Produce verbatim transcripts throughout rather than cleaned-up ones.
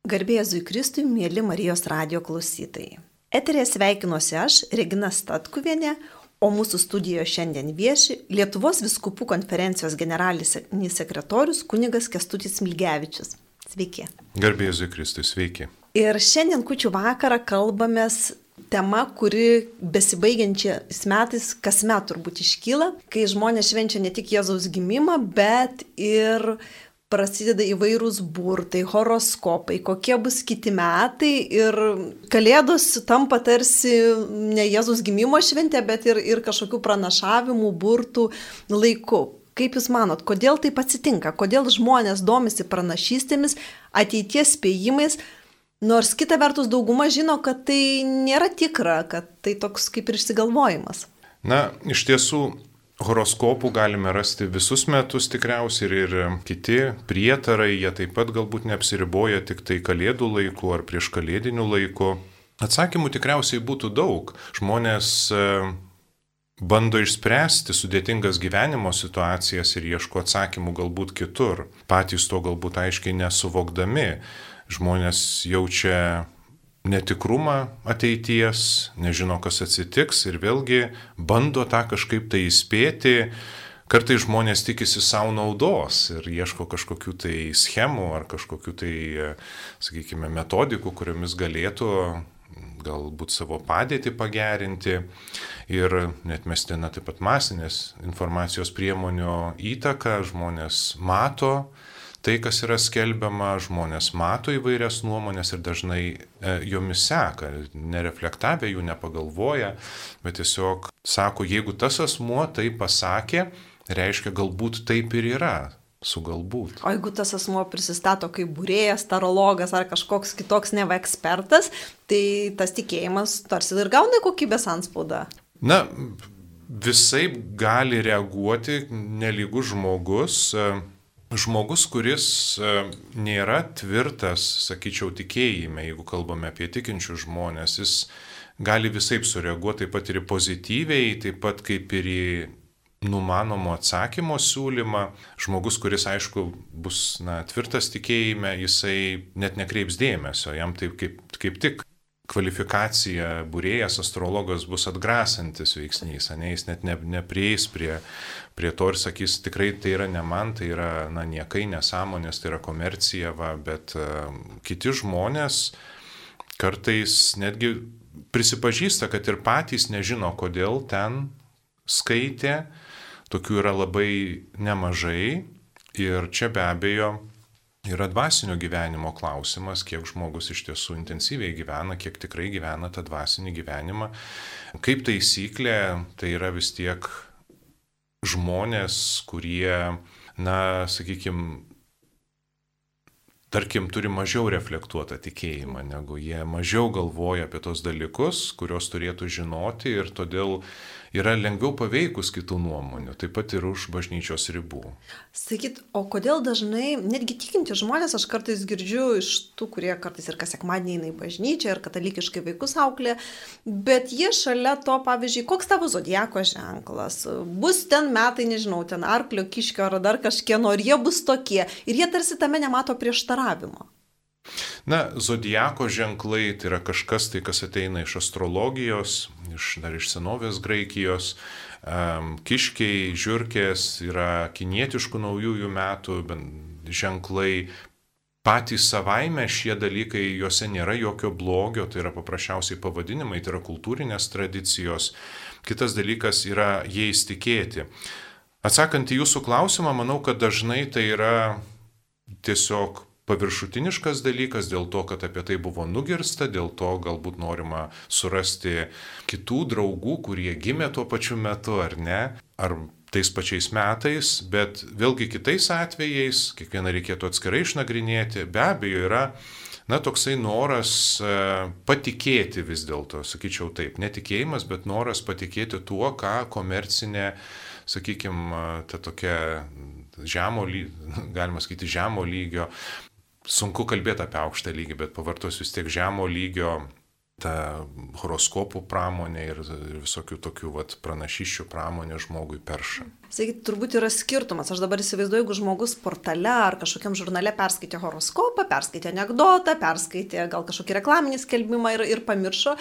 Garbė Jėzui Kristui, mėly Marijos radijo klausytojai. Eterėje sveikinuosi aš, Regina Statkuvienė, o mūsų studijoje šiandien vieši Lietuvos vyskupų konferencijos generalinis sekretorius kunigas Kęstutis Smilgevičius. Sveiki. Garbė Jėzui Kristui, sveiki. Ir šiandien kūčių vakarą kalbamės tema, kuri besibaigiančiais metais kasmet turbūt iškyla, kai žmonės švenčia ne tik Jėzaus gimimą, bet ir prasideda įvairūs burtai, horoskopai, kokie bus kiti metai ir Kalėdos tampa tarsi ne Jėzaus gimimo šventė, bet ir, ir kažkokių pranašavimų, burtų laiku. Kaip Jūs manot, kodėl taip atsitinka? Kodėl žmonės domisi pranašystėmis, ateities spėjimais, nors kita vertus dauguma žino, kad tai nėra tikra, kad tai toks kaip ir išsigalvojimas? Na, iš tiesų, horoskopų galime rasti visus metus tikriausiai ir, ir kiti prietarai, jie taip pat galbūt neapsiriboja tik tai kalėdų laiku ar prieš kalėdinių laiku. Atsakymų tikriausiai būtų daug. Žmonės e, bando išspręsti sudėtingas gyvenimo situacijas ir ieško atsakymų galbūt kitur. Patys to galbūt aiškiai nesuvokdami. Žmonės jaučia netikrumą ateities, nežino, kas atsitiks ir vėlgi bando tą kažkaip tai įspėti. Kartais žmonės tikisi savo naudos ir ieško kažkokių tai schemų ar kažkokių tai, sakykime, metodikų, kuriomis galėtų galbūt savo padėtį pagerinti ir net mestina taip pat masinės informacijos priemonių įtaka. Žmonės mato tai, kas yra skelbiama, žmonės mato įvairias nuomonės ir dažnai e, jomis seka, nereflektavę jų, nepagalvoja, bet tiesiog sako, jeigu tas asmuo tai pasakė, reiškia galbūt taip ir yra, su galbūt. O jeigu tas asmuo prisistato kaip būrėjas, tarologas ar kažkoks kitoks neva ekspertas, tai tas tikėjimas tarsi ir gauna kokybės antspaudą. Na, visaip gali reaguoti nelygus žmogus. Žmogus, kuris nėra tvirtas, sakyčiau, tikėjime, jeigu kalbame apie tikinčius žmonės, jis gali visaip sureaguoti taip pat ir pozityviai, taip pat kaip ir į numanomo atsakymo siūlymą. Žmogus, kuris, aišku, bus na, tvirtas tikėjime, jisai net nekreips dėmesio, jam taip kaip, kaip tik kvalifikacija būrėjas, astrologas bus atgrasantis veiksnys, ne, jis net ne, neprieis prie, prie to ir sakys, tikrai tai yra ne man, tai yra na, niekai nesąmonės, tai yra komercija, va, bet uh, kiti žmonės kartais netgi prisipažįsta, kad ir patys nežino, kodėl ten skaitė, tokių yra labai nemažai ir čia be abejo yra dvasinio gyvenimo klausimas, kiek žmogus iš tiesų intensyviai gyvena, kiek tikrai gyvena tą dvasinį gyvenimą. Kaip taisyklė, tai yra vis tiek žmonės, kurie, na, sakykime, tarkim, turi mažiau reflektuotą tikėjimą, negu jie mažiau galvoja apie tos dalykus, kuriuos turėtų žinoti ir todėl yra lengviau paveikus kitų nuomonių, taip pat ir už bažnyčios ribų. Sakyt, o kodėl dažnai, netgi tikinti žmonės, aš kartais girdžiu iš tų, kurie kartais ir kas sekmadienį eina į bažnyčią ir katalikiškai vaikus auklė, bet jie šalia to, pavyzdžiui, koks tavo zodiako ženklas, bus ten metai, nežinau, ten arklio, kiškio ar dar kažkieno, ir jie bus tokie, ir jie tarsi tame nemato prieštaravimo. Na, zodiako ženklai tai yra kažkas, tai kas ateina iš astrologijos, iš, dar iš senovės Graikijos. Kiškiai, žiurkės yra kinietiškų naujųjų metų ženklai. Patys savaime šie dalykai, juose nėra jokio blogio, tai yra paprasčiausiai pavadinimai, tai yra kultūrinės tradicijos. Kitas dalykas yra jais tikėti. Atsakant į jūsų klausimą, manau, kad dažnai tai yra tiesiog paviršutiniškas dalykas dėl to, kad apie tai buvo nugirsta, dėl to galbūt norima surasti kitų draugų, kurie gimė tuo pačiu metu ar ne, ar tais pačiais metais, bet vėlgi kitais atvejais, kiekvieną reikėtų atskirai išnagrinėti, be abejo yra, na, toksai noras e, patikėti vis dėlto, sakyčiau taip, netikėjimas, bet noras patikėti tuo, ką komercinė, sakykime, ta tokia žemo, galima sakyti, žemo lygio, sunku kalbėti apie aukštą lygį, bet pavartos vis tiek žemo lygio ta horoskopų pramonė ir visokių tokių vat, pranašysčių pramonė žmogui perša. Sakyti, turbūt yra skirtumas. Aš dabar įsivaizduoju, jeigu žmogus portale ar kažkokiam žurnale perskaitė horoskopą, perskaitė anekdotą, perskaitė gal kažkokį reklaminį skelbimą ir, ir pamiršo,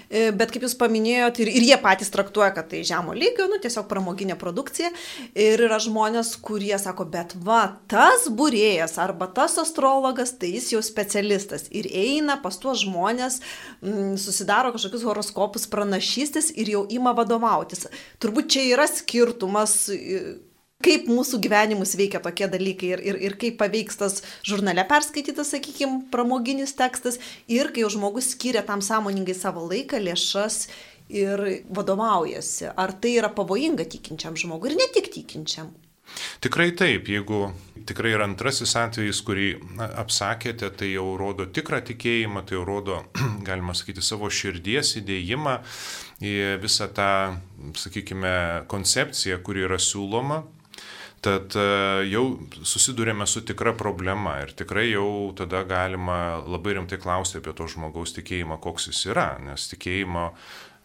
bet kaip jūs paminėjot, ir, ir jie patys traktuoja, kad tai žemo lygio, nu, tiesiog pramoginė produkcija. Ir yra žmonės, kurie sako, bet va, tas būrėjas arba tas astrologas, tai jis jau specialistas. Ir eina pas tuos žmonės, m, susidaro kažkokius horoskopus, pranašystės ir jau ima vadovautis. Turbūt čia yra skirtumas, kaip mūsų gyvenimus veikia tokie dalykai ir, ir, ir kaip paveiks tas žurnale perskaitytas, sakykime, pramoginis tekstas ir kai jau žmogus skiria tam sąmoningai savo laiką, lėšas ir vadovaujasi. Ar tai yra pavojinga tikinčiam žmogui ir ne tik tikinčiam? Tikrai taip, jeigu tikrai yra antrasis atvejis, kurį apsakėte, tai jau rodo tikrą tikėjimą, tai jau rodo, galima sakyti, savo širdies įdėjimą į visą tą, sakykime, koncepciją, kuri yra siūloma. Tad jau susidurėme su tikra problema ir tikrai jau tada galima labai rimtai klausti apie to žmogaus tikėjimą, koks jis yra, nes tikėjimo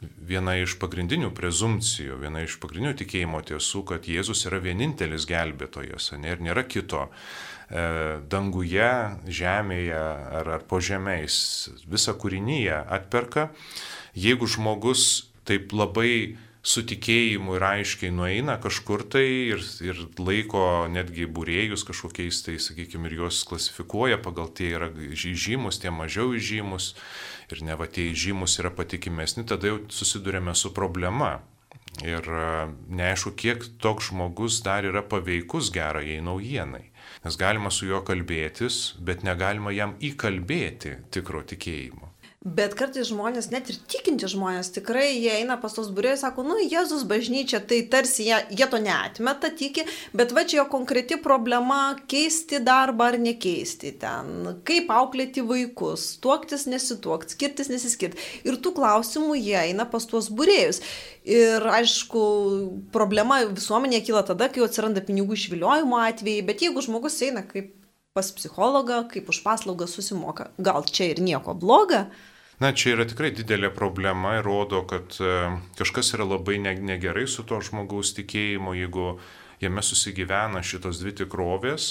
viena iš pagrindinių prezumcijų, viena iš pagrindinių tikėjimo tiesų, kad Jėzus yra vienintelis gelbėtojas, ne, ir nėra kito e, danguje, žemėje ar, ar po žemės. Visą kūrinyje atperka. Jeigu žmogus taip labai su tikėjimu ir aiškiai nueina kažkur tai ir, ir laiko netgi būrėjus kažkokiais, tai sakykime, ir juos klasifikuoja pagal tie yra žymus, tie mažiau žymus ir ne va tie žymus yra patikimesni, tada jau susidurėme su problema. Ir neaišku, kiek toks žmogus dar yra paveikus gerajai naujienai. Nes galima su juo kalbėtis, bet negalima jam įkalbėti tikro tikėjimo. Bet kartais žmonės, net ir tikinti žmonės, tikrai jie eina pas tos būrėjus, sako, nu, Jėzus bažnyčia, tai tarsi jie, jie to neatmeta, tiki, bet va čia jo konkreti problema keisti darbą ar nekeisti ten, kaip auklėti vaikus, tuoktis nesituokti, skirtis nesiskirti. Ir tų klausimų jie eina pas tuos būrėjus. Ir aišku, problema visuomenėje kyla tada, kai atsiranda pinigų išviliojimo atvejai, bet jeigu žmogus eina kaip pas psichologą, kaip už paslaugą susimoka, gal čia ir nieko bloga? Na, čia yra tikrai didelė problema ir rodo, kad kažkas yra labai negerai su to žmogaus tikėjimu, jeigu jame susigyvena šitos dvi tikrovės.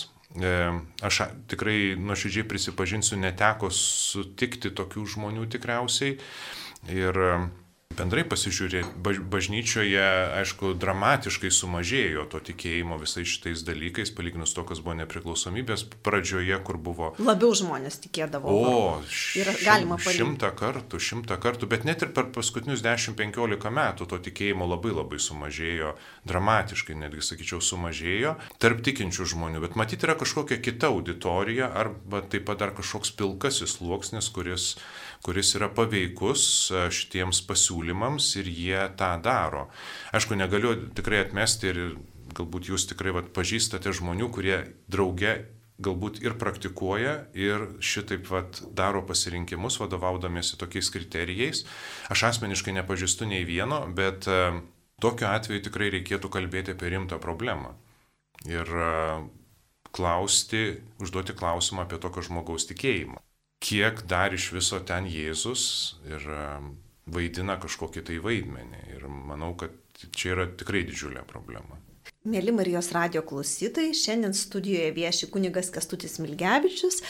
Aš tikrai nuoširdžiai prisipažinsiu, neteko sutikti tokių žmonių tikriausiai. Ir bendrai pasižiūrėti, bažnyčioje, aišku, dramatiškai sumažėjo to tikėjimo visais šitais dalykais, palyginus to, kas buvo nepriklausomybės pradžioje, kur buvo... Labiau žmonės tikėdavo. O, ir galima palyginti. Šimtą kartų, šimtą kartų, bet net ir per paskutinius dešimt penkiolika metų to tikėjimo labai labai sumažėjo, dramatiškai netgi, sakyčiau, sumažėjo tarp tikinčių žmonių, bet matyti yra kažkokia kita auditorija arba taip pat dar kažkoks pilkasis sluoksnis, kuris, kuris yra paveikus šitiems pasiūlymams ir jie tą daro. Aišku, negaliu tikrai atmesti ir galbūt jūs tikrai vat, pažįstate žmonių, kurie drauge galbūt ir praktikuoja ir šitaip vat, daro pasirinkimus vadovaudamiesi tokiais kriterijais. Aš asmeniškai nepažįstu nei vieno, bet uh, tokiu atveju tikrai reikėtų kalbėti apie rimtą problemą. Ir uh, klausti, užduoti klausimą apie tokio žmogaus tikėjimą. Kiek dar iš viso ten Jėzus ir uh, vaidina kažkokį tai vaidmenį. Ir manau, kad čia yra tikrai didžiulė problema. Mėly Marijos radijo klausytojai, šiandien studijoje vieši kunigas Kęstutis Smilgevičius,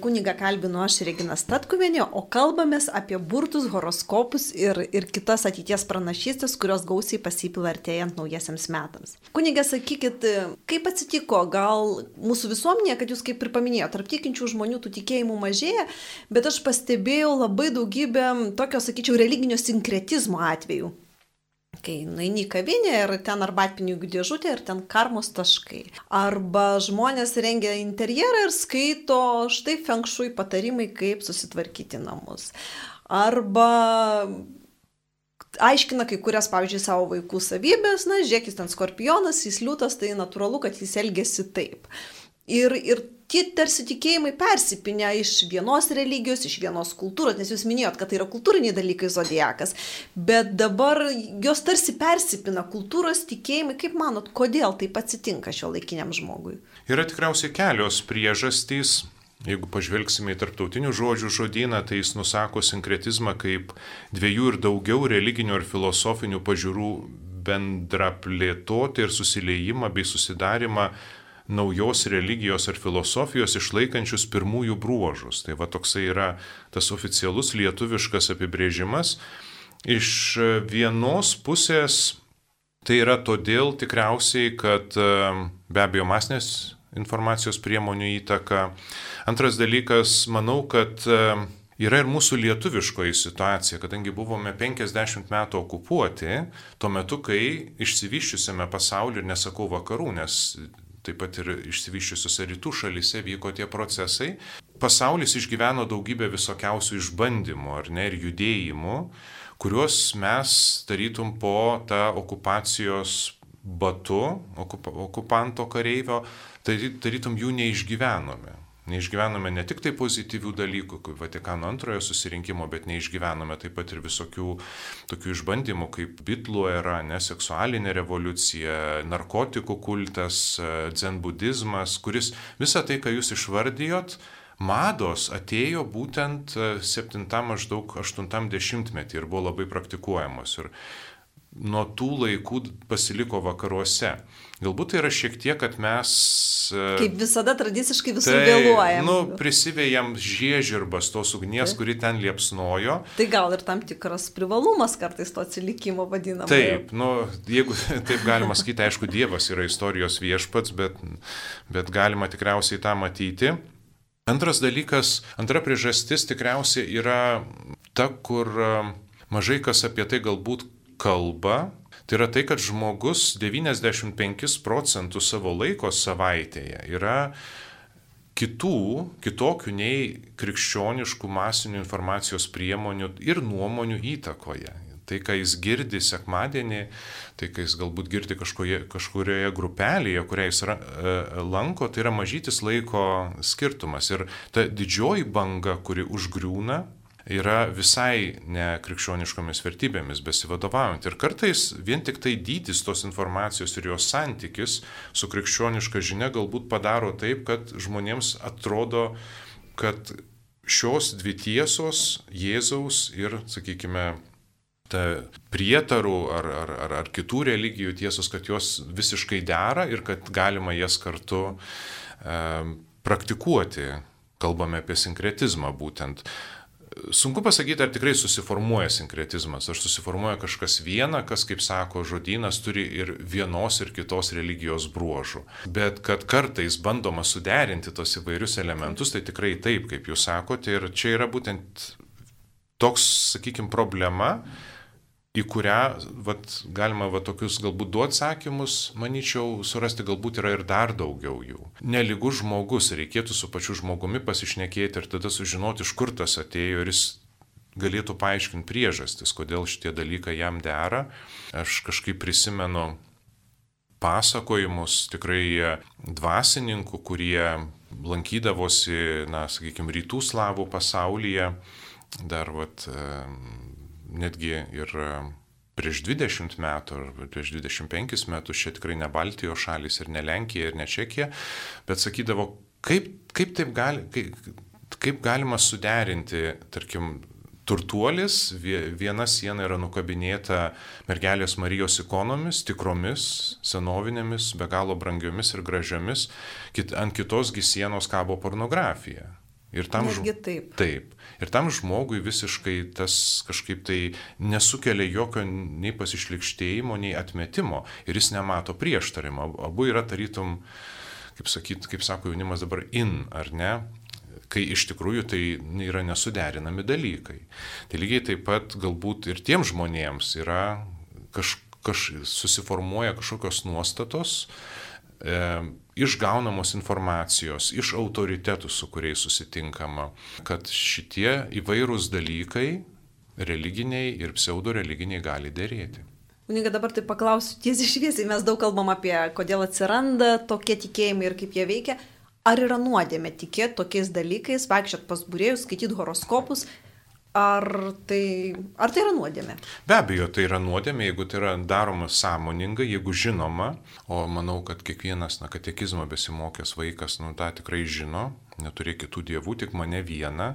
kunigą kalbinu aš Regina Statkuvienė, o kalbamės apie burtus, horoskopus ir, ir kitas ateities pranašystės, kurios gausiai pasipila artėjant naujiesiams metams. Kunigė, sakykit, kaip atsitiko, gal mūsų visuomenėje, kad jūs kaip ir paminėjote, tarp tikinčių žmonių tų tikėjimų mažėja, bet aš pastebėjau labai daugybę tokio, sakyčiau, religinio sinkretizmo atvejų. Kai nueini į kavinę ir ten arbatpinigių dėžutė ir ten karmos taškai. Arba žmonės rengia interjerą ir skaito štai feng shui patarimai, kaip susitvarkyti namus. Arba aiškina kai kurias, pavyzdžiui, savo vaikų savybės, na, žiūrėk, jis ten skorpionas, jis liūtas, tai natūralu, kad jis elgiasi taip. Ir, ir tie tarsi tikėjimai persipinę iš vienos religijos, iš vienos kultūros, nes jūs minėjot, kad tai yra kultūriniai dalykai zodiakas, bet dabar jos tarsi persipina kultūros tikėjimai. Kaip manot, kodėl taip atsitinka šiuolaikiniam žmogui? Yra tikriausiai kelios priežastys. Jeigu pažvelgsime į tarptautinių žodžių žodyną, tai jis nusako sinkretizmą kaip dviejų ir daugiau religinių ir filosofinių pažiūrų bendrą plėtotę ir susiliejimą bei susidarimą naujos religijos ar filosofijos išlaikančius pirmųjų bruožus. Tai va toksai yra tas oficialus lietuviškas apibrėžimas. Iš vienos pusės tai yra todėl tikriausiai, kad be abejo masinės informacijos priemonių įtaka. Antras dalykas, manau, kad yra ir mūsų lietuviškoji situacija, kadangi buvome penkiasdešimt metų okupuoti, tuo metu, kai išsivyščiusiame pasaulyje, ir nesakau vakarų, nes taip pat ir išsivyščiusiuose rytų šalyse vyko tie procesai. Pasaulis išgyveno daugybę visokiausių išbandymų, ar ne, ir judėjimų, kuriuos mes tarytum po tą okupacijos batu, okup, okupanto kareivio, tarytum jų neišgyvenome. Neišgyvenome ne tik tai pozityvių dalykų, kaip Vatikano antrojo susirinkimo, bet neišgyvenome taip pat ir visokių tokių išbandymų, kaip bitlų era, ne, seksualinė revoliucija, narkotikų kultas, dzenbudizmas, kuris visą tai, ką jūs išvardijot, mados atėjo būtent septintam maždaug aštuntam dešimtmetį ir buvo labai praktikuojamos. Ir nuo tų laikų pasiliko vakaruose. Galbūt tai yra šiek tiek, kad mes... Kaip visada tradiciškai visur tai, vėluojam. Nu, prisivėjam žiežirbas tos ugnies, tai, kuri ten liepsnojo. Tai gal ir tam tikras privalumas kartais to atsilikimo vadinamo. Taip, nu, jeigu taip galima sakyti, aišku, Dievas yra istorijos viešpats, bet, bet galima tikriausiai tą matyti. Antras dalykas, antra priežastis tikriausiai yra ta, kur mažai kas apie tai galbūt kalba, tai yra tai, kad žmogus devyniasdešimt penkis procentus savo laiko savaitėje yra kitų, kitokių nei krikščioniškų masinių informacijos priemonių ir nuomonių įtakoje. Tai, ką jis girdi sekmadienį, tai, ką jis galbūt girdi kažkoje, kažkurioje grupelėje, kurią jis ra, e, lanko, tai yra mažytis laiko skirtumas. Ir ta didžioji banga, kuri užgriūna, yra visai ne krikščioniškomis vertybėmis besivadovaujant. Ir kartais vien tik tai dydis tos informacijos ir jos santykis su krikščioniška žinia galbūt padaro taip, kad žmonėms atrodo, kad šios dvi tiesos, Jėzaus ir, sakykime, ta prietarų ar, ar, ar, ar kitų religijų tiesos, kad jos visiškai dera ir kad galima jas kartu e, praktikuoti. Kalbame apie sinkretizmą būtent. Sunku pasakyti, ar tikrai susiformuoja sinkretizmas, ar susiformuoja kažkas viena, kas, kaip sako žodynas, turi ir vienos ir kitos religijos bruožų. Bet kad kartais bandoma suderinti tos įvairius elementus, tai tikrai taip, kaip jūs sakote, ir čia yra būtent toks, sakykime, problema, į kurią vat, galima vat, tokius galbūt du atsakymus, manyčiau, surasti galbūt yra ir dar daugiau jų. Nelygus žmogus, reikėtų su pačiu žmogumi pasišnekėti ir tada sužinoti, iš kur tas atėjo ir jis galėtų paaiškinti priežastis, kodėl šitie dalykai jam dera. Aš kažkaip prisimenu pasakojimus tikrai dvasininkų, kurie lankydavosi, na, sakykime, rytų slavų pasaulyje, dar vat, netgi ir prieš dvidešimt metų ar prieš dvidešimt penkis metus, čia tikrai ne Baltijos šalis ir ne Lenkija ir ne Čekija, bet sakydavo, kaip, kaip, taip gali, kaip, kaip galima suderinti, tarkim, turtuolis, viena siena yra nukabinėta mergelės Marijos ikonomis, tikromis, senovinėmis, be galo brangiomis ir gražiomis, kit, ant kitosgi sienos kabo pornografija. Ir tam, taip. Taip. Ir tam žmogui visiškai tas kažkaip tai nesukelia jokio nei pasišlikštėjimo, nei atmetimo. Ir jis nemato prieštarimo. Abu yra tarytum, kaip, sakyt, kaip sako jaunimas dabar, in, ar ne? Kai iš tikrųjų tai yra nesuderinami dalykai. Tai lygiai taip pat galbūt ir tiem žmonėms yra kaž, kaž, susiformuoja kažkokios nuostatos, e, išgaunamos informacijos, iš autoritetų, su kuriais susitinkama, kad šitie įvairūs dalykai, religiniai ir pseudo-religiniai, gali dėrėti. Unika, dabar tai paklausiu tiesiai šviesiai, mes daug kalbam apie, kodėl atsiranda tokie tikėjimai ir kaip jie veikia. Ar yra nuodėmė tikėti tokiais dalykais, vaikščiot pas būrėjus, skaityti horoskopus? Ar tai, ar tai yra nuodėmė? Be abejo, tai yra nuodėmė, jeigu tai yra daroma sąmoningai, jeigu žinoma, o manau, kad kiekvienas na, katekizmo besimokęs vaikas nu, tą tikrai žino, neturi kitų dievų, tik mane vieną.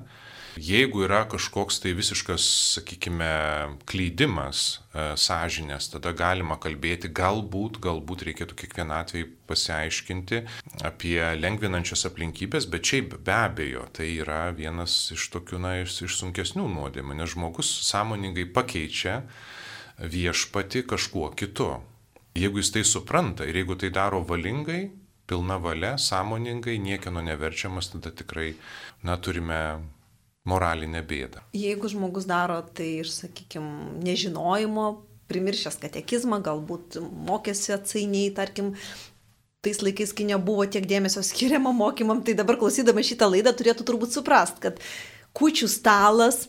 Jeigu yra kažkoks tai visiškas, sakykime, klydimas e, sąžinės, tada galima kalbėti, galbūt, galbūt reikėtų kiekvieną atvejį pasiaiškinti apie lengvinančias aplinkybės, bet šiaip be abejo, tai yra vienas iš tokių, na, iš, iš sunkesnių nuodėmių, nes žmogus sąmoningai pakeičia viešpatį kažkuo kitu. Jeigu jis tai supranta ir jeigu tai daro valingai, pilna valia, sąmoningai, niekieno neverčiamas, tada tikrai, na, turime moralinę bėdą. Jeigu žmogus daro tai iš, sakykime, nežinojimo, primiršęs katekizmą, galbūt mokėsi atsainiai, tarkim, tais laikais, kai nebuvo tiek dėmesio skiriama mokymam, tai dabar klausydama šitą laidą turėtų turbūt suprast, kad kūčių stalas,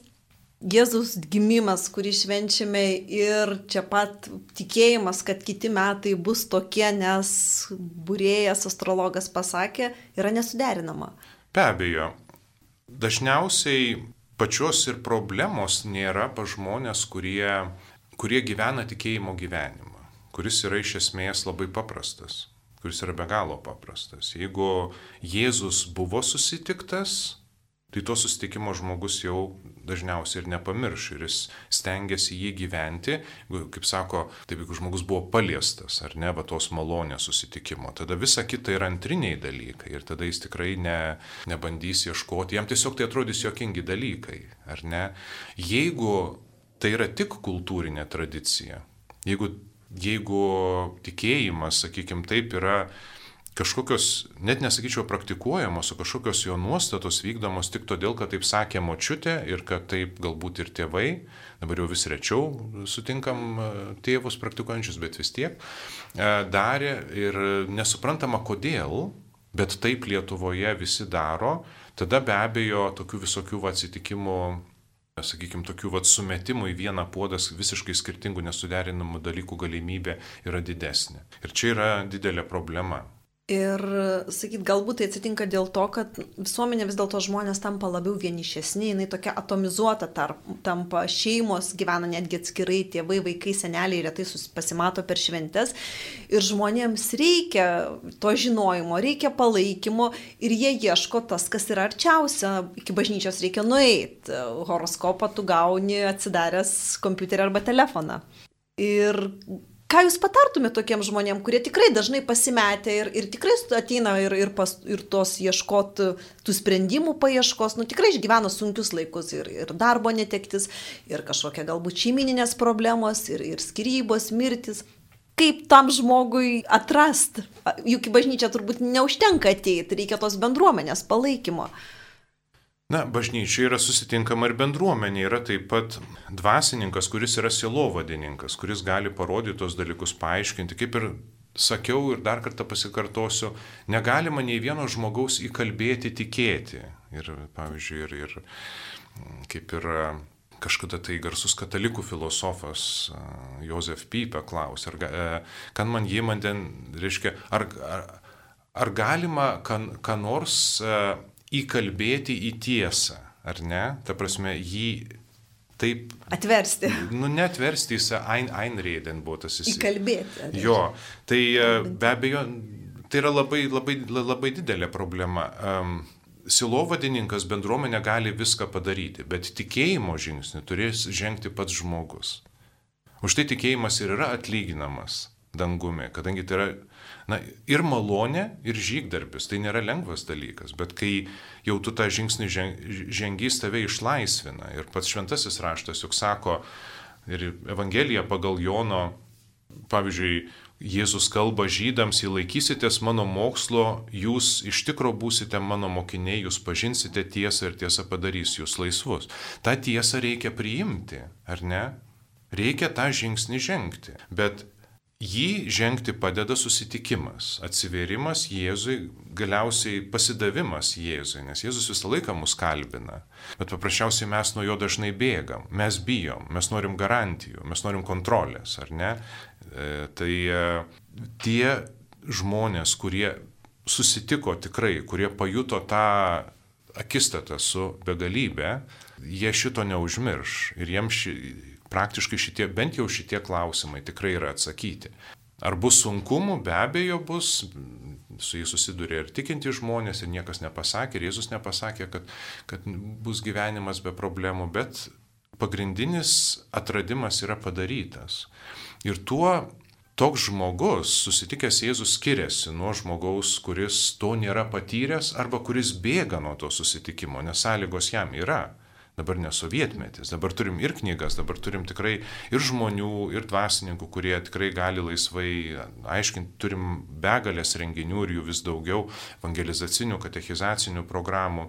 Jėzaus gimimas, kurį švenčiame ir čia pat tikėjimas, kad kiti metai bus tokie, nes būrėjas astrologas pasakė, yra nesuderinama. Be abejo. Dažniausiai pačios ir problemos nėra pas žmonės, kurie, kurie gyvena tikėjimo gyvenimą, kuris yra iš esmės labai paprastas, kuris yra be galo paprastas. Jeigu Jėzus buvo susitiktas, tai to susitikimo žmogus jau dažniausiai ir nepamirš ir jis stengiasi jį gyventi, kaip sako, taip jeigu žmogus buvo paliestas, ar ne, va tos malonės susitikimo, tada visa kita yra antriniai dalykai ir tada jis tikrai ne, nebandys ieškoti, jam tiesiog tai atrodys juokingi dalykai, ar ne. Jeigu tai yra tik kultūrinė tradicija, jeigu, jeigu tikėjimas, sakykime, taip yra kažkokios, net nesakyčiau praktikuojamos, o kažkokios jo nuostatos vykdomos tik todėl, kad taip sakė močiutė ir kad taip galbūt ir tėvai, dabar jau vis rečiau sutinkam tėvus praktikuojančius, bet vis tiek, darė ir nesuprantama kodėl, bet taip Lietuvoje visi daro, tada be abejo tokių visokių atsitikimų, sakykime, tokių vat, sumetimų į vieną puodą visiškai skirtingų nesuderinamų dalykų galimybė yra didesnė. Ir čia yra didelė problema. Ir, sakyt, galbūt tai atsitinka dėl to, kad visuomenė vis dėlto žmonės tampa labiau vienišesni, jinai tokia atomizuota tarp, tampa, šeimos gyvena netgi atskirai, tėvai, vaikai, seneliai retai pasimato per šventes ir žmonėms reikia to žinojimo, reikia palaikymo ir jie ieško tas, kas yra arčiausia, iki bažnyčios reikia nueiti, horoskopą tu gauni atsidaręs kompiuterį arba telefoną. Ir ką jūs patartumėte tokiems žmonėms, kurie tikrai dažnai pasimetė ir, ir tikrai ateina ir, ir, pas, ir tos ieškoti tų sprendimų paieškos, nu tikrai išgyvena sunkius laikus ir, ir darbo netektis, ir kažkokia galbūt šeimininės problemos, ir, ir skyrybos, mirtis. Kaip tam žmogui atrasti? Juk į bažnyčią turbūt neužtenka ateiti, reikia tos bendruomenės palaikymo. Na, bažnyčia yra susitinkama ir bendruomenė, yra taip pat dvasininkas, kuris yra sielovadininkas, kuris gali parodyti tos dalykus, paaiškinti. Kaip ir sakiau ir dar kartą pasikartosiu, negalima nei vieno žmogaus įkalbėti tikėti. Ir, pavyzdžiui, ir, ir kaip ir kažkada tai garsus katalikų filosofas Josef Pipė klausė, ar, kan man jį man ten, reiškia, ar, ar, ar galima kan, ką nors įkalbėti į tiesą, ar ne? Ta prasme, jį taip... Atversti. Nu, netversti, jis ein, einreden buvo tas jis. Įkalbėti. Jo, tai be abejo, tai yra labai, labai, labai didelė problema. Um, Silovadininkas bendruomenė gali viską padaryti, bet tikėjimo žingsnį turės žengti pats žmogus. Už tai tikėjimas ir yra atlyginamas dangumi, kadangi tai yra na, ir malonė, ir žygdarbis, tai nėra lengvas dalykas, bet kai jau tu tą žingsnį žengys, tave išlaisvina. Ir pats šventasis raštas juk sako, ir Evangelija pagal Jono, pavyzdžiui, Jėzus kalba žydams, jei laikysitės mano mokslo, jūs iš tikro būsite mano mokiniai, jūs pažinsite tiesą ir tiesa padarys jūs laisvus. Ta tiesą reikia priimti, ar ne? Reikia tą žingsnį žengti, bet jį žengti padeda susitikimas, atsivėrimas Jėzui, galiausiai pasidavimas Jėzui, nes Jėzus visą laiką mus kalbina, bet paprasčiausiai mes nuo jo dažnai bėgam, mes bijom, mes norim garantijų, mes norim kontrolės, ar ne? E, tai e, tie žmonės, kurie susitiko tikrai, kurie pajuto tą akistatą su begalybė, jie šito neužmirš ir jiems ši, praktiškai šitie, bent jau šitie klausimai tikrai yra atsakyti. Ar bus sunkumų? Be abejo bus, su jais susiduria ir tikinti žmonės, ir niekas nepasakė, ir Jėzus nepasakė, kad, kad bus gyvenimas be problemų, bet pagrindinis atradimas yra padarytas. Ir tuo toks žmogus, susitikęs Jėzus, skiriasi nuo žmogaus, kuris to nėra patyręs arba kuris bėga nuo to susitikimo, nes sąlygos jam yra. Dabar ne sovietmetis, dabar turim ir knygas, dabar turim tikrai ir žmonių, ir dvasininkų, kurie tikrai gali laisvai aiškinti, turim begalės renginių ir jų vis daugiau, evangelizacinių, katechizacinių programų.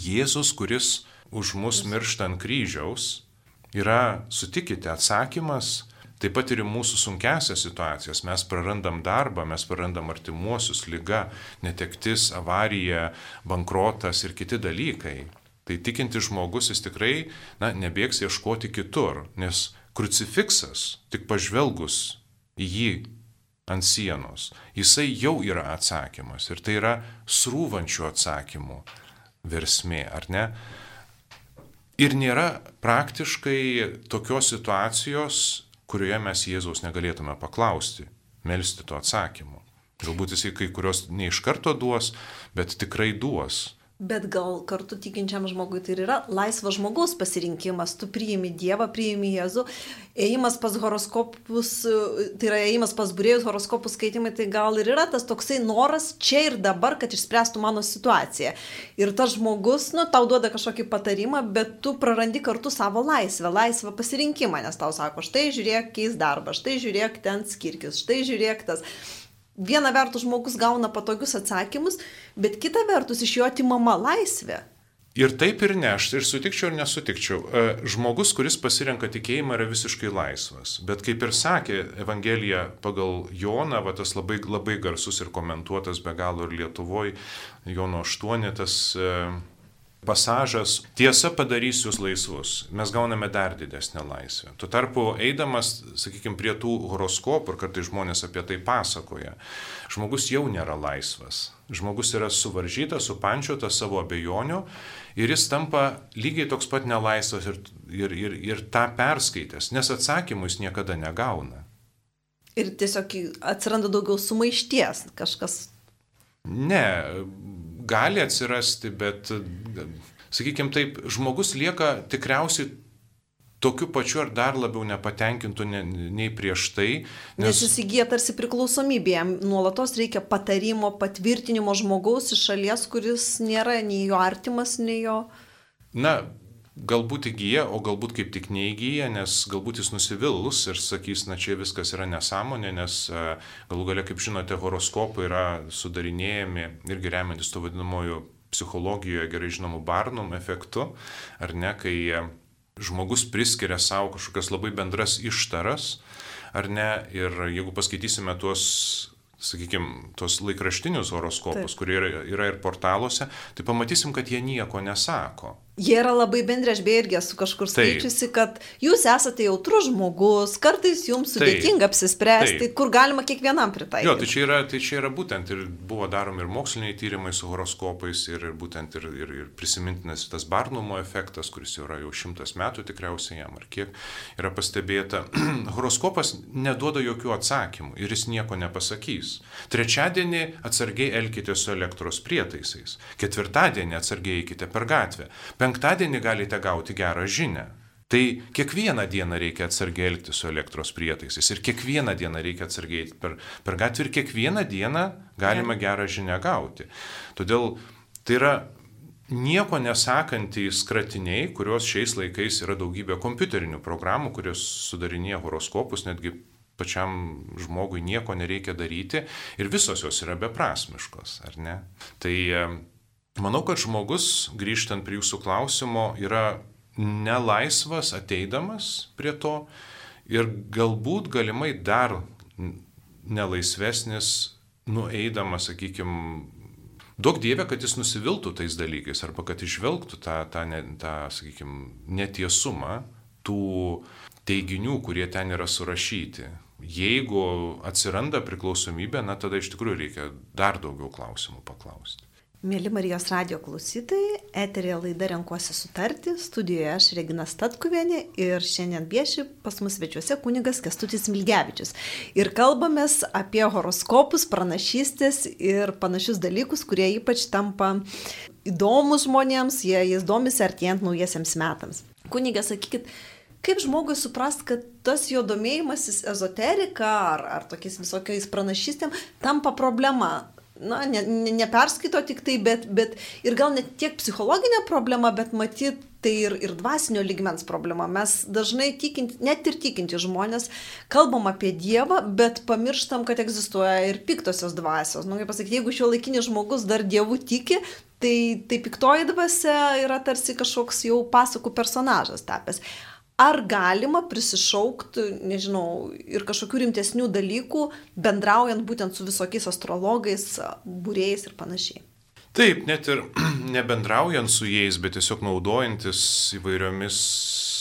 Jėzus, kuris už mus miršta ant kryžiaus, yra, sutikite, atsakymas taip pat ir į mūsų sunkiasias situacijas. Mes prarandam darbą, mes prarandam artimuosius, liga, netektis, avarija, bankrotas ir kiti dalykai. Tai tikintis žmogus, jis tikrai na, nebėgs ieškoti kitur, nes krucifiksas, tik pažvelgus į jį ant sienos, jisai jau yra atsakymas. Ir tai yra srūvančių atsakymų versmė, ar ne? Ir nėra praktiškai tokios situacijos, kurioje mes Jėzaus negalėtume paklausti, melsti to atsakymo. Galbūt jisai kai kurios ne iš karto duos, bet tikrai duos. Bet gal kartu tikinčiam žmogui tai yra laisvas žmogaus pasirinkimas. Tu priimi Dievą, priimi Jėzų. Ėjimas pas horoskopus, tai yra ėjimas pas būrėjus, horoskopų skaitimai, tai gal ir yra tas toksai noras čia ir dabar, kad išspręstų mano situaciją. Ir tas žmogus, nu, tau duoda kažkokį patarimą, bet tu prarandi kartu savo laisvę, laisvą pasirinkimą, nes tau sako, štai žiūrėk, keis darbą, štai žiūrėk, ten skirkis, štai žiūrėk tas. Viena vertus žmogus gauna patogius atsakymus, bet kita vertus iš jo atimama laisvė. Ir taip ir ne, aš ir sutikčiau ir nesutikčiau. Žmogus, kuris pasirenka tikėjimą, yra visiškai laisvas. Bet kaip ir sakė Evangelija pagal Joną, va, tas labai, labai garsus ir komentuotas be galo ir Lietuvoje, Jono aštuoni, tas pasažas, tiesa padarys jūs laisvus. Mes gauname dar didesnę laisvę. Tuo tarpu, eidamas, sakykime, prie tų horoskopų, ir kartais žmonės apie tai pasakoja, žmogus jau nėra laisvas. Žmogus yra suvaržytas, supančiotas savo abejonių ir jis tampa lygiai toks pat nelaisvas ir, ir, ir, ir tą perskaitęs, nes atsakymų jis niekada negauna. Ir tiesiog atsiranda daugiau sumaišties kažkas. Ne, gali atsirasti, bet, sakykime taip, žmogus lieka tikriausiai tokiu pačiu ar dar labiau nepatenkintų nei prieš tai. Nes, nes jis įgyja tarsi priklausomybė, jam nuolatos reikia patarimo, patvirtinimo žmogaus iš šalies, kuris nėra nei jo artimas, nei jo... Na, galbūt įgyja, o galbūt kaip tik neįgyja, nes galbūt jis nusivils ir sakys, na čia viskas yra nesąmonė, nes galų galia, kaip žinote, horoskopai yra sudarinėjami irgi remiantis to vadinamojo psichologijoje gerai žinomų Barnum efektu, ar ne, kai žmogus priskiria savo kažkokias labai bendras ištaras, ar ne, ir jeigu paskaitysime tuos, sakykime, tuos laikraštinius horoskopus, kurie yra, yra ir portaluose, tai pamatysim, kad jie nieko nesako. Jie yra labai bendri, aš beje irgi esu kažkur skaičiusi, kad jūs esate jautrus žmogus, kartais jums sudėtinga apsispręsti, Taip. Kur galima kiekvienam pritaikyti. Jo, tai čia, yra, tai čia yra būtent ir buvo daromi ir moksliniai tyrimai su horoskopais ir būtent ir, ir, ir prisimintinas tas Barnumo efektas, kuris jau yra jau šimtas metų tikriausiai jam, ar kiek yra pastebėta. Horoskopas neduoda jokių atsakymų ir jis nieko nepasakys. Trečiadienį atsargiai elkitės su elektros prietaisais, ketvirtadienį atsargiai eikite per gatvę. Penktadienį galite gauti gerą žinią. Tai kiekvieną dieną reikia atsargiai elgti su elektros prietaisais ir kiekvieną dieną reikia atsargiai per, per gatvę ir kiekvieną dieną galima gerą žinią gauti. Todėl tai yra nieko nesakantys skratiniai, kurios šiais laikais yra daugybė kompiuterinių programų, kurios sudarinėja horoskopus, netgi pačiam žmogui nieko nereikia daryti ir visos jos yra beprasmiškos, ar ne? Tai manau, kad žmogus, grįžtant prie jūsų klausimo, yra nelaisvas ateidamas prie to ir galbūt galimai dar nelaisvesnis nueidamas, sakykime, duok Dieve, kad jis nusiviltų tais dalykais arba kad išvelgtų tą, tą, tą sakykime, netiesumą tų teiginių, kurie ten yra surašyti. Jeigu atsiranda priklausomybė, na tada iš tikrųjų reikia dar daugiau klausimų paklausti. Mėly Marijos radijo klausytojai, eterėje laida Renkuosi sutarti, studijoje aš Regina Statkuvienė ir šiandien vieši pas mus svečiuose kunigas Kęstutis Smilgevičius. Ir kalbamės apie horoskopus, pranašystės ir panašius dalykus, kurie ypač tampa įdomus žmonėms, jie jais domisi artėjant naujiesiems metams. Kunige, sakykit, kaip žmogui suprast, kad tas jo domėjimasis ezoterika ar, ar tokiais visokiais pranašystėm tampa problema? Na, ne, ne, neperskaito tik tai, bet, bet ir gal net tiek psichologinė problema, bet matyt, tai ir, ir dvasinio lygmens problema. Mes dažnai tikinti, net ir tikinti žmonės, kalbam apie Dievą, bet pamirštam, kad egzistuoja ir piktosios dvasios. Nu, kaip pasakyti, jeigu šio laikinis žmogus dar Dievu tiki, tai, tai piktoji dvasia yra tarsi kažkoks jau pasakų personažas tapęs. Ar galima prisišaukti, nežinau, ir kažkokių rimtesnių dalykų, bendraujant būtent su visokiais astrologais, būrėjais ir panašiai? Taip, net ir nebendraujant su jais, bet tiesiog naudojantis įvairiomis,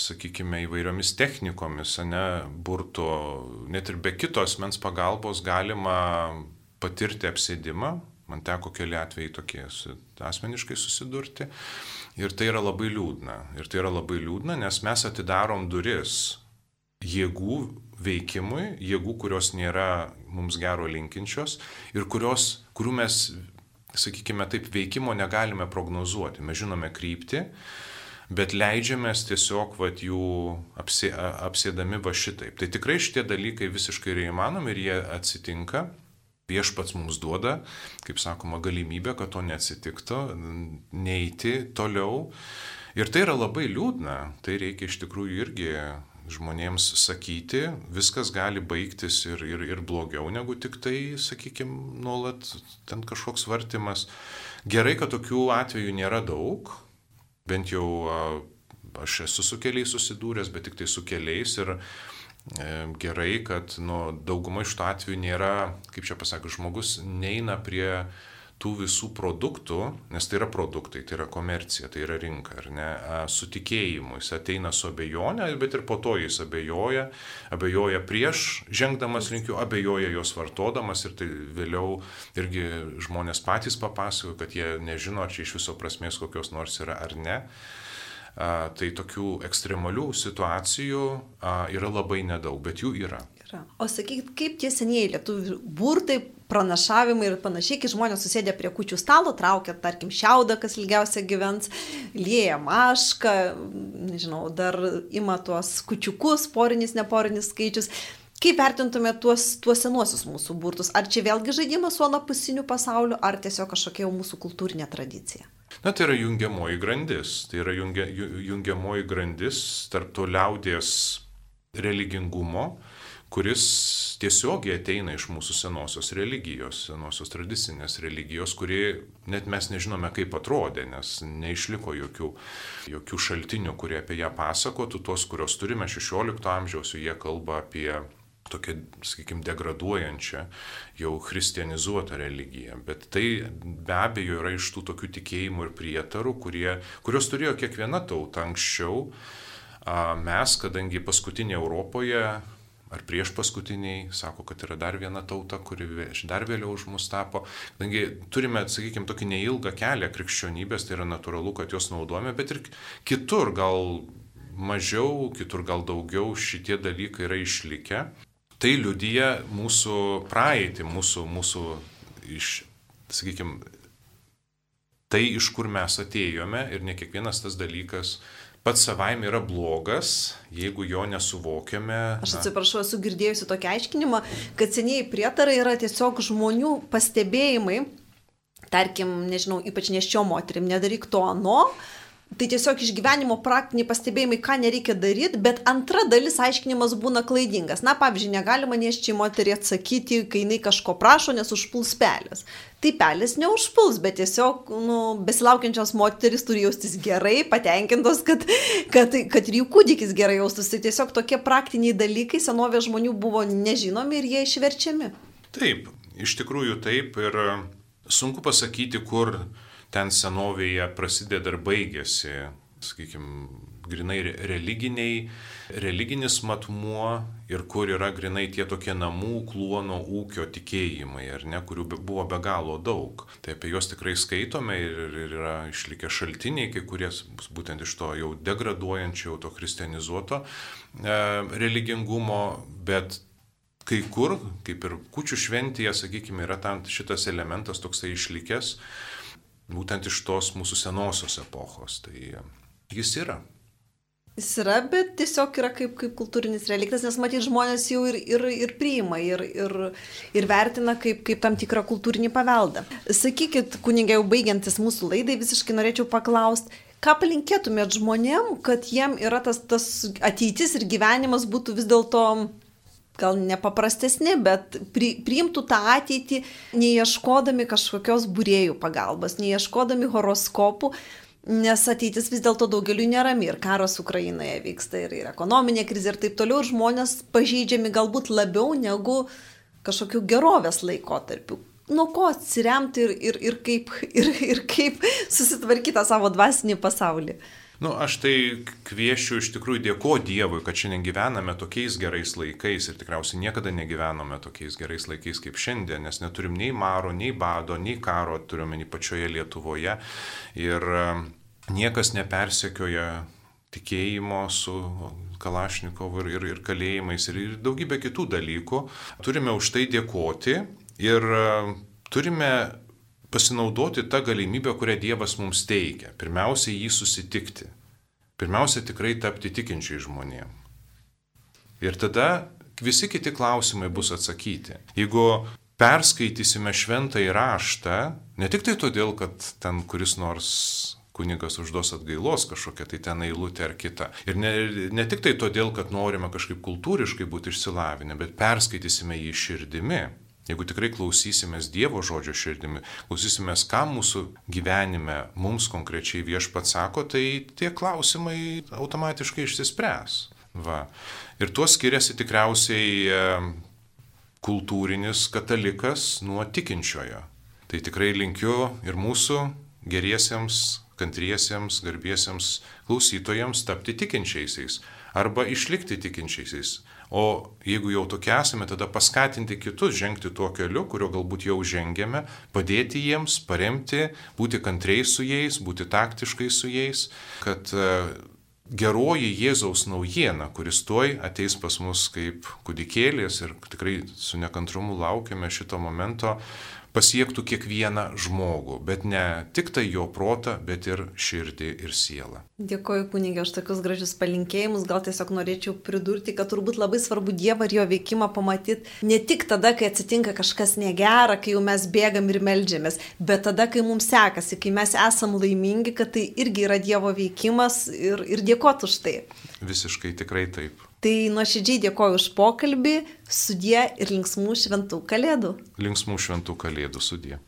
sakykime, įvairiomis technikomis, ne, burto, net ir be kito asmens pagalbos galima patirti apsėdimą. Man teko keli atvejai tokie asmeniškai susidurti. Ir tai yra labai liūdna. Ir tai yra labai liūdna, nes mes atidarom duris jėgų veikimui, jėgų, kurios nėra mums gero linkinčios ir kurios, kurių mes, sakykime taip, veikimo negalime prognozuoti. Mes žinome kryptį, bet leidžiamės tiesiog vat, jų apsė, apsėdami va šitaip. Tai tikrai šitie dalykai visiškai yra įmanomi ir jie atsitinka. Viešpats mums duoda, kaip sakoma, galimybę, kad to neatsitiktų, neiti toliau. Ir tai yra labai liūdna, tai reikia iš tikrųjų irgi žmonėms sakyti, viskas gali baigtis ir, ir, ir blogiau negu tik tai, sakykime, nuolat ten kažkoks vartimas. Gerai, kad tokių atvejų nėra daug, bent jau aš esu su keliais susidūręs, bet tik tai su keliais ir gerai, kad nu, dauguma iš to atveju nėra, kaip čia pasakė, žmogus neina prie tų visų produktų, nes tai yra produktai, tai yra komercija, tai yra rinka, ar ne, su tikėjimu. Jis ateina su abejonė, bet ir po to jis abejoja, abejoja prieš žengdamas link jų, abejoja jos vartodamas ir tai vėliau irgi žmonės patys papasakoja, kad jie nežino, ar čia iš viso prasmės kokios nors yra ar ne. A, tai tokių ekstremalių situacijų a, yra labai nedaug, bet jų yra. yra. O sakykit, kaip tie senieji lietuvių burtai, pranašavimai ir panašiai, kai žmonės susėdė prie kūčių stalo, traukia, tarkim, šiaudą, kas ilgiausia gyvens, lieja mašką, nežinau, dar ima tuos kučiukus, porinis, neporinis skaičius. Kaip vertintume tuos, tuos senuosius mūsų burtus? Ar čia vėlgi žaidimas su anapusiniu pasauliu, ar tiesiog kažkokia jau mūsų kultūrinė tradicija? Na, tai yra jungiamoji grandis. Tai yra jungia, jungiamoji grandis tarp to liaudies religingumo, kuris tiesiogiai ateina iš mūsų senosios religijos, senosios tradicinės religijos, kuri net mes nežinome, kaip atrodė, nes neišliko jokių, jokių šaltinių, kurie apie ją pasakotų. Tuos, kurios turime šešiolikto amžiaus, jie kalba apie tokia, sakykime, degraduojančią, jau christianizuotą religiją. Bet tai be abejo yra iš tų tokių tikėjimų ir prietarų, kurie, kurios turėjo kiekviena tauta anksčiau. Mes, kadangi paskutinė Europoje, ar prieš paskutiniai, sako, kad yra dar viena tauta, kuri dar vėliau už mus tapo. Kadangi turime, sakykime, tokį neilgą kelią krikščionybės, tai yra natūralu, kad jos naudojame, bet ir kitur gal mažiau, kitur gal daugiau šitie dalykai yra išlikę. Tai liudija mūsų praeitį, mūsų, mūsų iš, sakykime, tai, iš kur mes atėjome ir ne kiekvienas tas dalykas pats savaime yra blogas, jeigu jo nesuvokiame. Aš atsiprašau, esu girdėjusi tokį aiškinimą, kad senieji prietarai yra tiesiog žmonių pastebėjimai, tarkim, nežinau, ypač nėščiom moterim, nedaryk to ano. Tai tiesiog iš gyvenimo praktiniai pastebėjimai, ką nereikia daryti, bet antra dalis aiškinimas būna klaidingas. Na, pavyzdžiui, negalima nėščiai moteriai atsakyti, kai jinai kažko prašo, nes užpuls pelės. Tai pelės neužpuls, bet tiesiog nu, besilaukiančios moteris turi jaustis gerai, patenkintos, kad, kad, kad ir jų kūdikis gerai jaustųsi. Tai tiesiog tokie praktiniai dalykai senovės žmonių buvo nežinomi ir jie išverčiami. Taip, iš tikrųjų taip ir sunku pasakyti, kur ten senovėje prasideda ir baigėsi sakykime, grinai religiniai, religinis matmuo ir kur yra grinai tie tokie namų, kluono, ūkio tikėjimai, ar ne, kurių buvo be galo daug. Tai apie juos tikrai skaitome ir, ir yra išlikę šaltiniai, kai kurie būtent iš to jau degraduojančio, jau to kristianizuoto e, religingumo, bet kai kur, kaip ir kūčių šventėje, sakykime, yra tam šitas elementas toksai išlikęs, būtent iš tos mūsų senosios epochos. Tai jis yra. Jis yra, bet tiesiog yra kaip, kaip kultūrinis reliktas, nes matyt žmonės jau ir, ir, ir priima, ir, ir, ir vertina kaip, kaip tam tikrą kultūrinį paveldą. Sakykit, kunigai, jau baigiantis mūsų laidai, visiškai norėčiau paklausti, ką palinkėtumėt žmonėm, kad jiem yra tas, tas ateitis ir gyvenimas būtų vis dėlto gal nepaprastesni, bet pri, priimtų tą ateitį, neieškodami kažkokios būrėjų pagalbos, neieškodami horoskopų, nes ateitis vis dėlto daugeliu nerami ir karas Ukrainoje vyksta ir, ir ekonominė krizė ir taip toliau, ir žmonės pažeidžiami galbūt labiau negu kažkokių gerovės laikotarpių. Nuo ko atsiremti ir, ir, ir, kaip, ir, ir kaip susitvarkyti tą savo dvasinį pasaulį? Nu, aš tai kviešiu iš tikrųjų dėkoti Dievui, kad šiandien gyvename tokiais gerais laikais ir tikriausiai niekada negyvenome tokiais gerais laikais kaip šiandien, nes neturim nei maro, nei bado, nei karo, turime nei pačioje Lietuvoje ir niekas nepersekioja tikėjimo su Kalašnikovu ir, ir, ir kalėjimais ir, ir daugybė kitų dalykų. Turime už tai dėkoti ir turime pasinaudoti tą galimybę, kurią Dievas mums teikia. Pirmiausia, jį susitikti. Pirmiausia, tikrai tapti tikinčiai žmonėm. Ir tada visi kiti klausimai bus atsakyti. Jeigu perskaitysime šventąjį raštą, ne tik tai todėl, kad ten kuris nors kunigas užduos atgailos kažkokią, tai ten eilutė ar kita. Ir ne, ne tik tai todėl, kad norime kažkaip kultūriškai būti išsilavinę, bet perskaitysime jį širdimi. Jeigu tikrai klausysimės Dievo žodžio širdimi, klausysimės, ką mūsų gyvenime mums konkrečiai Viešpats sako, tai tie klausimai automatiškai išsispręs. Va. Ir tuo skiriasi tikriausiai kultūrinis katalikas nuo tikinčiojo. Tai tikrai linkiu ir mūsų geriesiems, kantriesiems, garbiesiems klausytojams tapti tikinčiaisiais arba išlikti tikinčiaisiais. O jeigu jau tokie esame, tada paskatinti kitus žengti tuo keliu, kurio galbūt jau žengėme, padėti jiems, paremti, būti kantriais su jais, būti taktiškai su jais, kad geroji Jėzaus naujiena, kuris tuoj ateis pas mus kaip kūdikėlis ir tikrai su nekantrumu laukiame šito momento, pasiektų kiekvieną žmogų, bet ne tik tai jo protą, bet ir širdį ir sielą. Dėkoju kunige už tokius gražius palinkėjimus, gal tiesiog norėčiau pridurti, kad turbūt labai svarbu Dievą ir jo veikimą pamatyti ne tik tada, kai atsitinka kažkas negera, kai jau mes bėgam ir meldžiamės, bet tada, kai mums sekasi, kai mes esam laimingi, kad tai irgi yra Dievo veikimas ir, ir dėkoti už tai. Visiškai tikrai taip. Tai nuoširdžiai dėkoju už pokalbį, sudie ir linksmų šventų kalėdų. Linksmų šventų kalėdų sudie.